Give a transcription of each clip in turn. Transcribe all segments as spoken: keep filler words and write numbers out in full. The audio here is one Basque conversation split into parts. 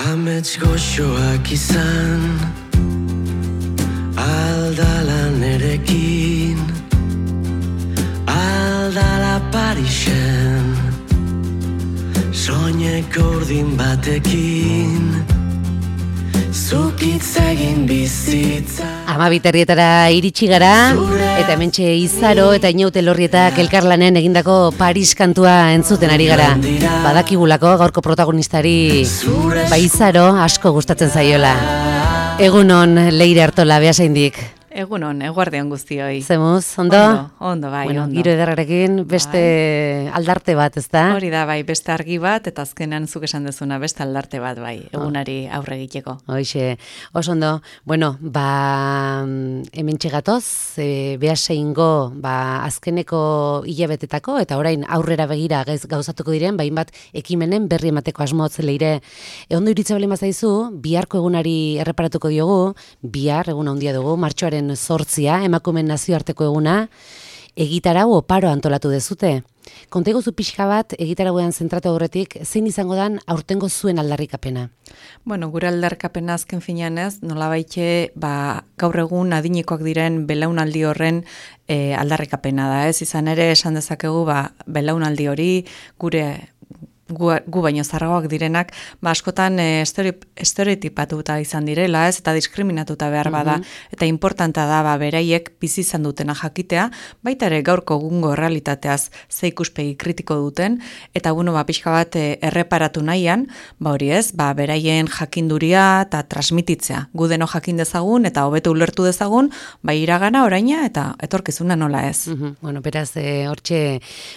Amets goxoak izan aldala nerekin, aldala Parisen, soineko urdin batekin, zukitz egin bizitza. Amabiterrietara iritsi gara, eta hementxe Izaro eta Inaute Elorrietak elkarlanen egindako Paris kantua entzuten ari gara. Badakigulako gaurko protagonistari ba Izaro asko gustatzen zaiola. Egunon Leire Artola, Beasaindik. Egunon, eguardion guztioi. Zemuz, ondo? Ondo, ondo bai, bueno, ondo. Giro ederrarekin beste bai. Aldarte bat, ez da? Hori da, bai, beste argi bat, eta azkenan zuk esan dezuna beste aldarte bat, bai, egunari aurre egiteko. Hoixe, oso ondo. Bueno, ba, hemen txegatoz, e, Beaseingo, ba, azkeneko hilabetetako, eta orain aurrera begira gauzatuko diren, bain bat ekimenen berri emateko asmotz Leire. E, ondo iritza bali mazaizu, biharko egunari erreparatuko diogu, bihar egun handia dugu, martxoaren sortzia, emakumeen nazioarteko eguna, egitarau oparo antolatu dezute. Kontego zu pixka bat, egitarauean zentratu aurretik, zein izango dan aurtengo zuen aldarrikapena? Bueno, gure aldarrikapena azken finean ez, nolabaite, ba, gaur egun adinekoak diren belaunaldi horren e, aldarrikapena da, ez? Izan ere, esan dezakegu, ba, belaunaldi hori gure gu, gu baino zarragoak direnak, ba, askotan e, estereotipatuta izan direla, ez, eta diskriminatuta behar bada, mm-hmm. eta importanta da, ba, beraiek bizi izan dutena jakitea, baita ere gaurko egungo realitateaz ze ikuspegi kritiko duten, eta bueno, ba, pixka bat e, erreparatu nahian, ba, hori ez, ba, beraien jakinduria eta transmititzea, gu deno jakin dezagun, eta hobeto ulertu dezagun, ba, iragana oraina, eta etorkizuna nola ez. Mm-hmm. Bueno, beraz, e, hortxe,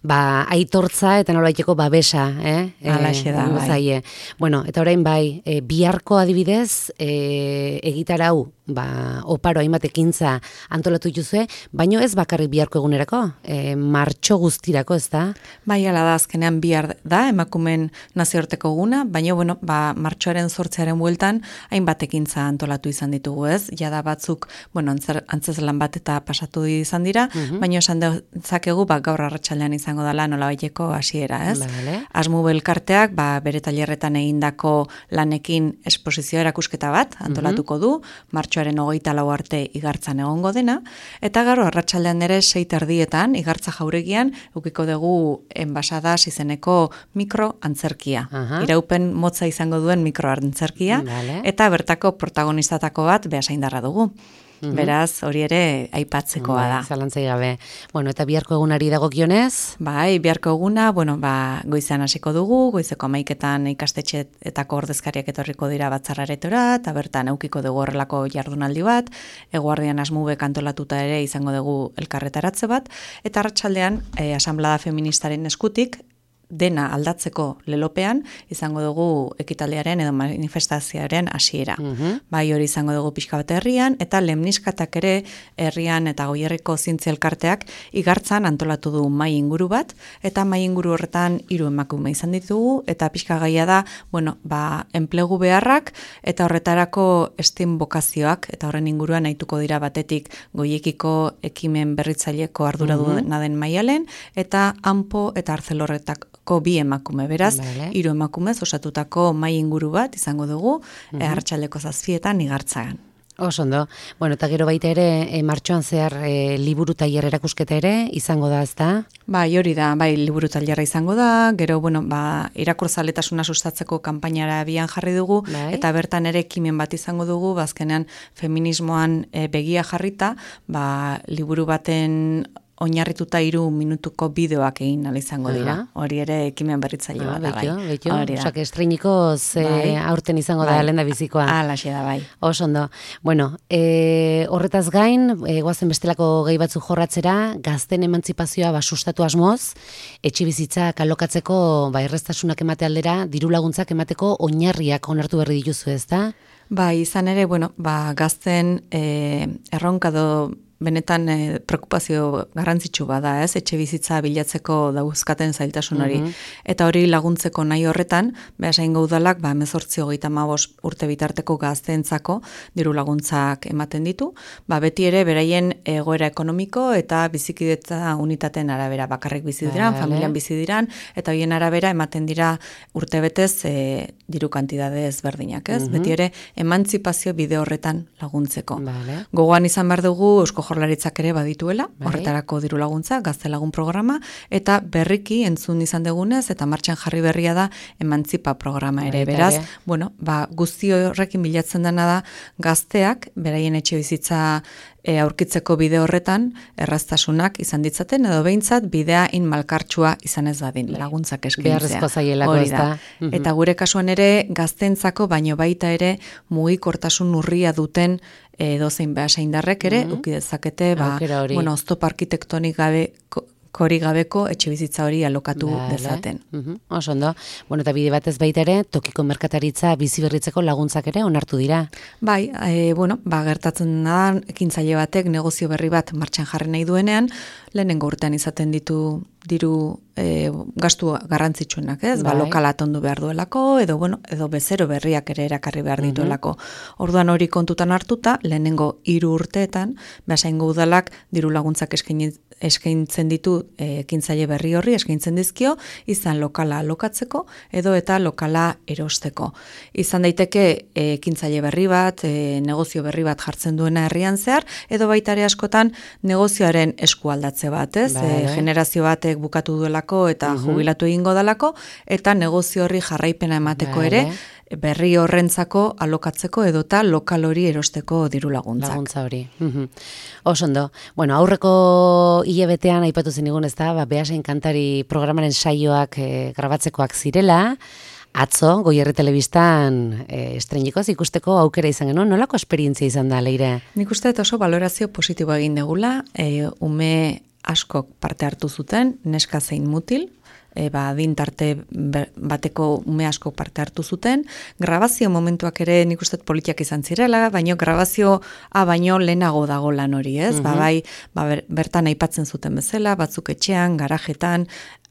ba, aitortza eta nolaiteko babesa, eh? Eh, Alaxe da, bai. Bueno, eta orain bai, e, biharko adibidez, e, egitarau, ba, oparo hainbat ekintza antolatu dituzue, baino ez bakarrik biharko egunerako, e, martxo guztirako, ez da? Bai, ala da, azkenean bihar da, emakumeen nazioarteko eguna, baina, bueno, ba, martxoaren sortzearen bueltan, hainbat ekintza antolatu izan ditugu, ez? Jada batzuk, bueno, antzer, antzeslan bat eta pasatu izan dira, uh-huh. baina esan dezakegu, ba, gaur arratsaldean izango dela nolabaiteko hasiera, ez? Vale. Asmu elkarteak, ba, bere tailerretan egindako lanekin esposizio erakusketa bat antolatuko du, martxoaren hogeita lau arte igartzan egongo dena, eta gero arratsaldean ere sei terdietan igartza jauregian ukiko dugu enbasadas izeneko mikro antzerkia. Uh-huh. Iraupen motza izango duen mikro antzerkia, vale. Eta bertako protagonizatako bat Beasaindarra dugu. Mm-hmm. Beraz, hori ere aipatzekoa da. Zalantzai gabe. Bueno, eta biharko egunari dagokionez? Bai, biharko eguna, bueno, ba, goizean hasiko dugu, goizeko hamaiketan ikastetxeetako ordezkariak etorriko dira batzarraretora, eta bertan eukiko dugu horrelako jardunaldi bat, eguardian asmube kantolatuta ere izango dugu elkarretaratze bat, eta arratsaldean e, asanblada feministaren eskutik, dena aldatzeko lelopean izango dugu ekitaldiaren edo manifestazioaren hasiera. Uh-huh. Bai, hori izango dugu pixka bat herrian, eta lemniskatak ere herrian eta Goierriko zientzia elkarteak igartzan antolatu du mai inguru bat, eta mai inguru horretan hiru emakume izan ditugu, eta pixka gaia da, bueno, ba, enplegu beharrak, eta horretarako estin bokazioak, eta horren inguruan nahituko dira batetik Goiekiko ekimen berritzaileko ardura uh-huh. duena den Maialen, eta Anpo eta Arcelorretak bi emakume, beraz, vale. Hiru emakumez osatutako mai inguru bat izango dugu, uh-huh. e, arratsaldeko zazpietan igartzagan. Oso ondo. Bueno, eta gero baita ere, e, martxoan zehar e, liburu tailer erakusketa ere izango da, ezta? Bai, hori da, bai, liburu tailerra izango da, gero, bueno, ba, irakurzaletasuna sustatzeko kanpainara abian jarri dugu, bai. Eta bertan ere ekimen bat izango dugu, bazkenean feminismoan e, begia jarrita, ba, liburu baten oinarrituta hiru minutuko bideoak egin ala izango dira. Uh-huh. Hori ere ekimen berritzaile ah, bat da, bai. Betio, Osak estreniko ze bai. Aurten izango bai. Da lenda bizikoa. Alaxe da, bai. Oso ondo. Bueno, e, horretaz gain, e, goazen bestelako gai batzu jorratzera, gazten emantzipazioa ba, sustatu asmoz, etxebizitzak alokatzeko ba, erreztasunak emate aldera, diru laguntzak emateko oinarriak onartu berri dituzu, ez da? Ba, izan ere, bueno, ba, gazten e, erronkado benetan e, preokupazio garrantzitsu bada, ez? Etxe bizitza bilatzeko dauzkaten zailtasun hori. Mhm. Eta hori laguntzeko nahi horretan, Beasaingo udalak, ba, hemezortzi hogeita hamabost urte bitarteko gazteentzako diru laguntzak ematen ditu, ba, beti ere beraien egoera ekonomiko eta bizikidetza unitateen arabera bakarrik bizi diran, Vale. familian bizi diran, eta horien arabera ematen dira urtebetez e, diru kantidade ezberdinak, ez? Mhm. Beti ere emantzipazio bide horretan laguntzeko. Vale. Gogoan izan behar dugu Eusko Jaurlaritzak ere badituela, Bai. horretarako diru laguntza, gaztelagun programa, eta berriki entzun izan dugunez, eta martxan jarri berria da emantzipa programa ere. Baita Beraz, ere. bueno, ba, guzti horrekin bilatzen dena da gazteak, beraien etxe bizitza e, aurkitzeko bide horretan, erraztasunak izan ditzaten, edo behintzat bidea in malkartsua izan ez dadin, laguntzak eskaintzea. Beharrezko zaielako, Hori ez da. da? Mhm. Eta gure kasuan ere, gaztentzako, baino baita ere, mugikortasun urria duten edozein behasaindarrek ere, Mhm. uki dezakete, ba, Aukera hori. bueno, oztopo arkitektonik gabe, kori gabeko etxe bizitza hori alokatu Vale. dezaten. Mhm. Oso ondo. Bueno, eta bide batez baita ere, tokiko merkataritza bizi berritzeko laguntzak ere onartu dira. Bai, e, bueno, ba, gertatzen da, ekintzaile batek negozio berri bat martxan jarri nahi duenean, lehenengo urtean izaten ditu diru e, gastu garrantzitsuenak, ez? Ba, Bai. lokala tondu behar duelako, edo, bueno, edo bezero berriak ere erakarri behar dituelako. Orduan hori kontutan hartuta, lehenengo hiru urteetan, Beasaingo udalak diru laguntzak eskaini eskaintzen ditu e, ekintzaile berri horri, eskaintzen dizkio, izan lokala alokatzeko, edo eta lokala erosteko. Izan daiteke e, ekintzaile berri bat, e, negozio berri bat jartzen duena herrian zehar, edo baita ere askotan negozioaren eskualdatze bat, ez? Vale. E, generazio batek bukatu duelako eta Mhm. jubilatu egingo dalako, eta negozio horri jarraipena emateko Vale. ere, berri horrentzako alokatzeko edota lokal hori erosteko diru laguntzak. Laguntza hori. Mhm. Oso ondo. Bueno, aurreko hilabetean aipatu zenigun, ez da, ba, Beasain kantari programaren saioak e, grabatzekoak zirela, atzo, Goierri Telebistan e, estreinikoz ikusteko aukera izan genuen, nolako esperientzia izan da, Leire? Nik uste dut oso valorazio positiboa egin degula, e, ume askok parte hartu zuten, neska zein mutil, e, ba, adin tarte be- bateko ume asko parte hartu zuten. Grabazio momentuak ere nik uste dut politiak izan zirela, baino grabazioa baino lehenago dago lan hori, ez? Ba, bai, ba, ber- bertan aipatzen zuten bezala, batzuk etxean, garajetan,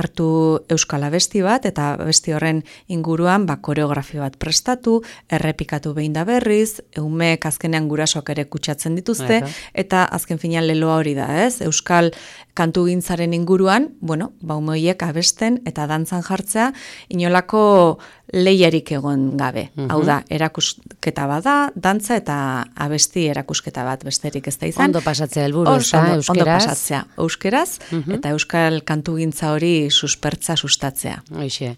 hartu euskal abesti bat, eta abesti horren inguruan ba, koreografia bat prestatu, errepikatu behin da berriz, umeek azkenean gurasoak ere kutsatzen dituzte, Aha. eta azken finean leloa hori da, ez? Euskal kantugintzaren inguruan, bueno, ba, ume horiek abesten eta dantzan jartzea, inolako lehiarik egon gabe. Mhm. Hau da, erakusketa bada, dantza eta abesti erakusketa bat besterik ez da izan. Ondo pasatzea helburu, ez Oso da, ondo, ondo euskeraz? pasatzea euskeraz, Mhm. eta euskal kantugintza hori suspertza sustatzea. Hoixe.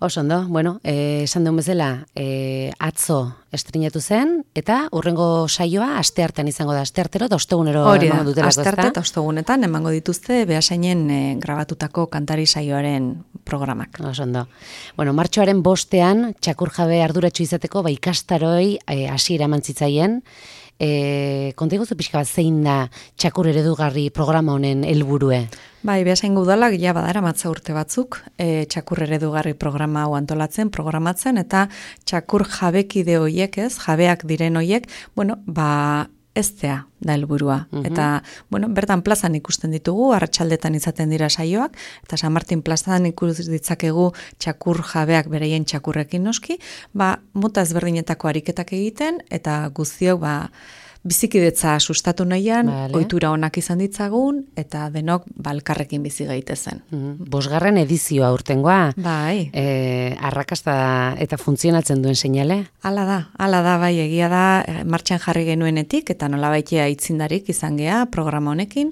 Oso ondo, bueno, eh, esan duen bezala, eh, atzo estrenatu zen, eta urrengo saioa asteartean izango da, asteartero eta ostegunero Hori da, emango dutelako, astarte ezta? eta ostegunetan emango dituzte Beasainen e, grabatutako kantari saioaren programak. Oso ondo. Bueno, martxoaren bostean, txakur jabe arduratsu izateko, ba, ikastaroi eh, hasiera eman zitzaien, e, konta iguzu pixka bat zein da txakur eredugarri programa honen helburue? Bai, Beasaingo udalak ja badara matza urte batzuk, e, txakur eredugarri programa hau antolatzen, programatzen, eta txakur jabekide hoiek, ez, jabeak diren hoiek, bueno, ba, eztea da helburua. Mhm. Eta, bueno, bertan plazan ikusten ditugu, arratsaldetan izaten dira saioak, eta San Martin plazan ikus ditzakegu txakur jabeak beraien txakurrekin noski, ba, mota ezberdinetako ariketak egiten, eta guztiok, ba, bizikidetza sustatu nahian, Vale. ohitura onak izan ditzagun, eta denok balkarrekin bizi gaitezen. Mhm. Bosgarren edizioa aurtengoa, Bai, e, arrakasta eta funtzionatzen duen seinale? hala da, hala da, bai, egia da, eh, martxan jarri genuenetik, eta nolabaitea aitzindarik izan gea programa honekin,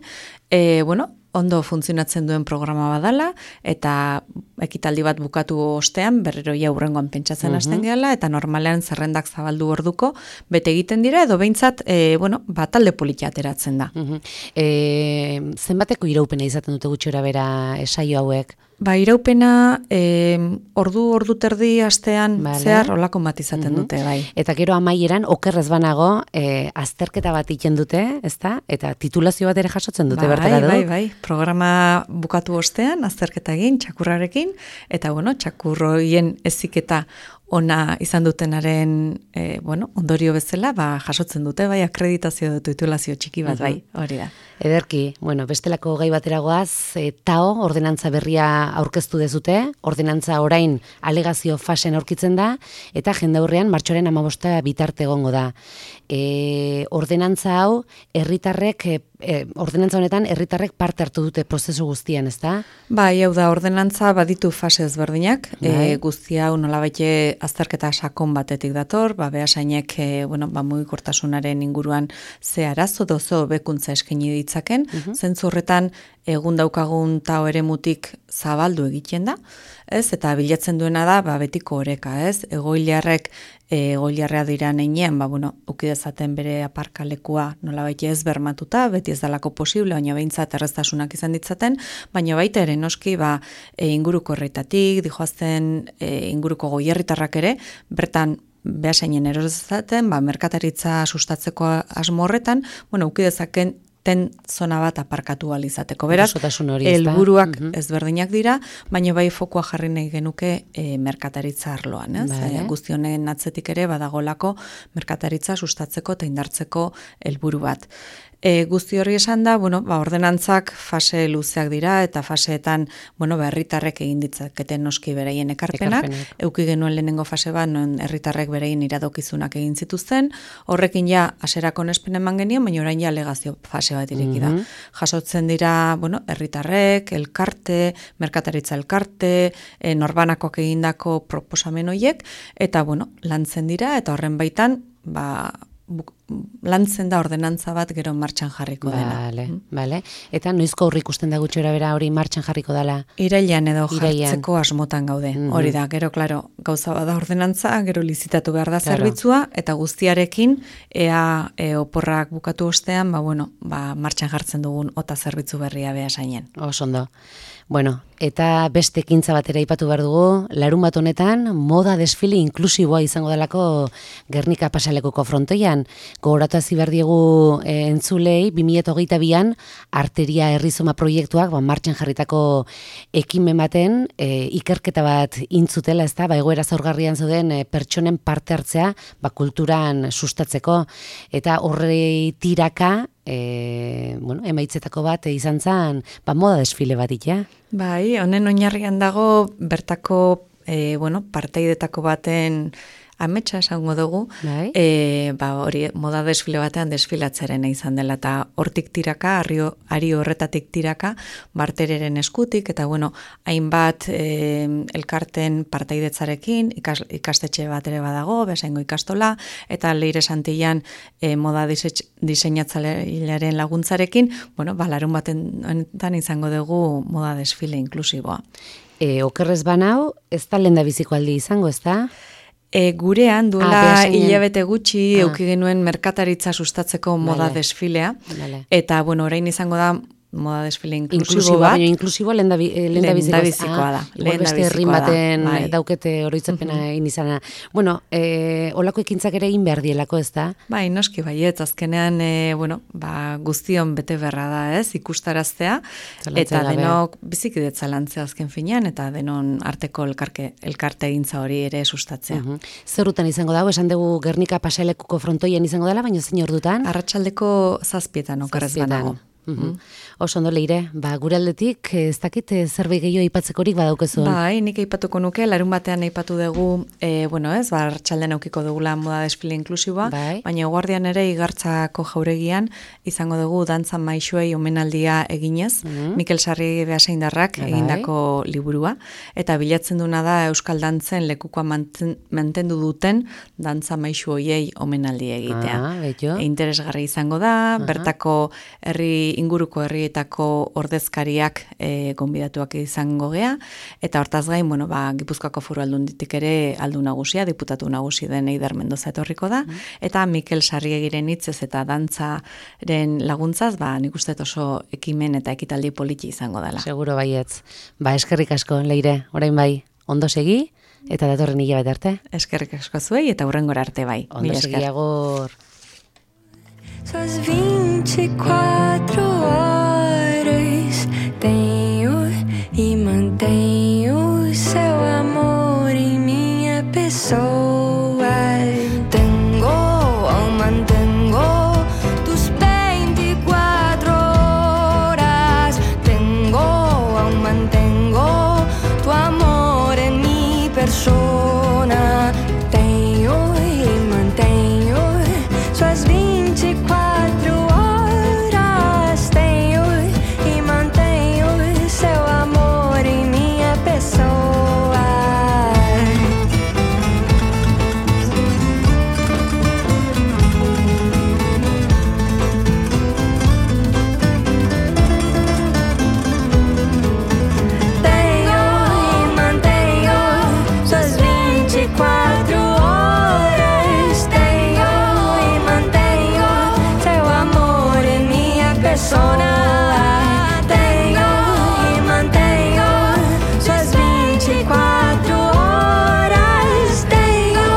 e, bueno, ondo funtzionatzen duen programa badala, eta ekitaldi bat bukatu ostean, berriro ja hurrengoan pentsatzen Mhm. hasten gehala, eta normalean zerrendak zabaldu orduko, bete egiten dira, edo behintzat, e, bueno, ba, talde politia ateratzen da. Mhm. E, zenbateko iraupena izaten dute gutxora bera saio hauek? Ba, iraupena, e, ordu, ordu terdi astean Vale. zehar olako bat izaten Mhm. dute, bai. Eta gero amaieran, okerrez banago, e, azterketa bat egiten dute, ezta? Eta titulazio bat ere jasotzen dute bai, bertara du? bai, bai, programa bukatu ostean, azterketa egin, txakurrarekin, eta bueno, txakurroien eziketa ona izan dutenaren e, bueno, ondorio bezala, ba, jasotzen dute, bai, akreditazio titulazio txiki bat, bai, hori da. Ederki, bueno, bestelako gai bateragoaz, e, tao, ordenantza berria aurkeztu dezute, ordenantza orain alegazio fasen aurkitzen da, eta jendaurrean martxoaren hamabosta bitarte egongo da. E, ordenantza hau, herritarrek, e, e, ordenantza honetan, herritarrek parte hartu dute prozesu guztian, ezta? Bai, hau da, ordenantza baditu fase ezberdinak, bai. e, guzti hau nolabaite azterketa sakon batetik dator, ba, behasainek, e, bueno, ba, mugikortasunaren inguruan ze arazo dozo bekuntza eskaini ditzaken, uh-huh. zentzu horretan egun daukagun tao eremutik zabaldu egiten da, ez? Eta bilatzen duena da, ba, betiko oreka, ez? Egoiliarrek, egoiliarrea dira neinean, ba, bueno, ukidezaten bere aparkalekua nolabait ez bermatuta, beti ez dalako posible, baina behintzat erreztasunak izan ditzaten, baina baita ere noski, ba, e, inguruko herritatik, dijoazten e, inguruko goierritarrak ere, bertan behasainen erosatzen, ba, merkataritza sustatzeko asmo horretan, bueno, ukidezaken ten zona bat aparkatu alizateko. Beraz, helburuak uh-huh. ezberdinak dira, baina bai fokua jarri nahi genuke e, merkataritza arloan. Ez? Vale. E, guztionen atzetik ere badagolako merkataritza sustatzeko eta indartzeko helburu bat. E, guzti hori esan da, bueno, ba, ordenantzak fase luzeak dira eta faseetan, bueno, ba, herritarrek egin ditzaketen noski bereien ekarpenak, ekarpenak. Euki genuen lehenengo fase bat, non herritarrek bereien iradokizunak egin zituzten, horrekin ja aserako onespen eman genien, baina orain ja alegazio fase bat ireki da. Mm-hmm. Jasotzen dira, bueno, herritarrek, elkarte, merkataritza elkarte, e, norbanakoak egindako proposamen horiek, eta, bueno, lantzen dira, eta horren baitan, ba, lantzen da ordenantza bat gero martxan jarriko dela. Vale, mm. vale. Eta noizko aurre ikusten da gutxora bera hori martxan jarriko dela? Irailean edo Irailean. Jartzeko asmotan gaude. Mm-hmm. Hori da, gero, klaro, gauza bada ordenantza, gero lizitatu behar da claro. Zerbitzua, eta guztiarekin, ea e, oporrak bukatu ostean, ba, bueno, ba, martxan jartzen dugun ota zerbitzu berria behasainen. Osondo. Bueno, eta beste ekintza batera aipatu behar dugu, larun bat honetan, moda desfile inklusiboa izango delako Gernika pasalekuko frontoian. Gogoratu hasi behar diegu e, entzulei, bi mila hogeita bian, arteria herrizoma proiektuak, ba, martxan jarritako ekimen baten, e, ikerketa bat intzutela, ez da, ba, egoera zaurgarrian zauden e, pertsonen parte hartzea, ba, kulturan sustatzeko, eta horre tiraka, E, bueno, emaitzetako bat izan zen, ba, moda desfile bat ja. Bai, honen oinarrian dago bertako e, bueno, parteidetako baten ametsa esango dugu, bai. e, ba, hori moda desfile batean desfilatzaren izan dela, eta hortik tiraka, ari, ari horretatik tiraka, bartereren eskutik, eta bueno, hainbat e, elkarten partaidetzarekin, ikas, ikastetxe bat ere badago, bezaingo ikastola, eta Leire Santillan e, moda diseinatzailearen laguntzarekin, bueno, ba, larun batean izango dugu moda desfile inklusiboa. E, okerrez banau, ez da lenda biziko aldi izango, ez da? E, gurean duela ah, hilabete gutxi ah. euki genuen merkataritza sustatzeko moda vale. Desfilea, vale. Eta bueno, orain izango da moda desfile inklusibo bat. Baina inklusibo lenda bizikoa da. Igual beste herrin baten bai. Daukete oroitzapena uh-huh. egin izana. Bueno, e, olako ekintzak ere egin behar dielako, ez da? Bai, noski baiet, azkenean, e, bueno, ba, guztion bete berra da, ez, ikustaraztea, Zalantzea eta gabe. Denok bizikidetza lantzea azken finean, eta denon arteko elkarke, elkarte egintza hori ere sustatzea. Uh-huh. Zerutan izango dago, esan dugu Gernika pasalekuko frontoian izango dela, baina zein ordutan? Arratsaldeko zazpietan okerrez banago. Mm-hmm. Oso ondo Leire, ba, gure aldetik ez dakit zerbait gehiago aipatzekorik badaukezu. Bai, nik aipatuko nuke, larun batean aipatu dugu, e, bueno ez, ba, arratsaldean aukiko dugula moda desfile inklusiboa, bai. Baina guardian ere Igartzako jauregian izango dugu dantza maixuei omenaldia eginez, mm-hmm. Mikel Sarri Beasaindarrak bai. Egindako liburua, eta bilatzen duna da Euskal Dantzen lekukoa manten, mantendu duten dantza maixu hoiei omenaldi egitea. Ah, e, interesgarri izango da, uh-huh. bertako herri inguruko herrietako ordezkariak e, gonbidatuak izango gea, eta hortaz gain, bueno, ba, Gipuzkoako Foru Aldunditik ere aldu nagusia, diputatu nagusi den Eider Mendoza etorriko da, mm. eta Mikel Sarriegiren hitzez eta dantzaren laguntzaz, ba, nik uste oso ekimen eta ekitaldi politi izango dela. Seguro baietz. Ba, eskerrik asko, Leire, orain bai, ondo segi, eta datorren hilabete arte. Eskerrik asko zuei, eta hurrengora arte bai. Ondo segi agor. Suas vinte e quatro horas tenho e mantenho seu amor em minha pessoa. empezó. Ay, tengo, aún mantengo tus veinticuatro horas. Tengo, aún mantengo tu amor en mi persona. Tenho e mantenho suas vinte e quatro horas. Tenho e mantenho seu amor em minha pessoa. Tenho e mantenho suas vinte e quatro horas. Tenho e mantenho seu amor em minha persona. Tenho e mantenho suas vinte e quatro horas. Tenho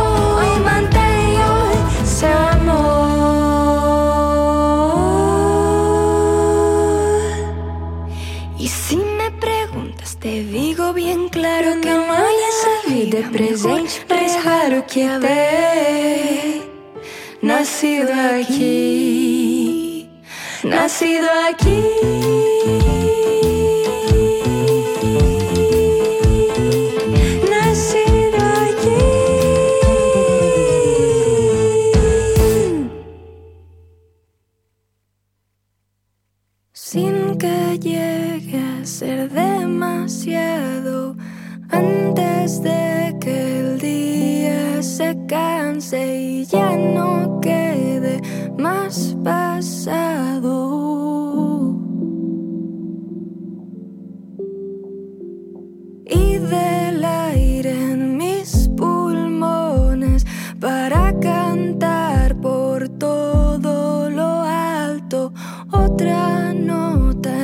e mantenho seu amor. Y si me preguntas, te digo bien claro que no hay esa vida presente. Es raro que haber nacido aquí, nacido aquí. Nacido aquí. Sin que llegue a ser demasiado, antes de que el día se canse y ya no quede más pasado. Y de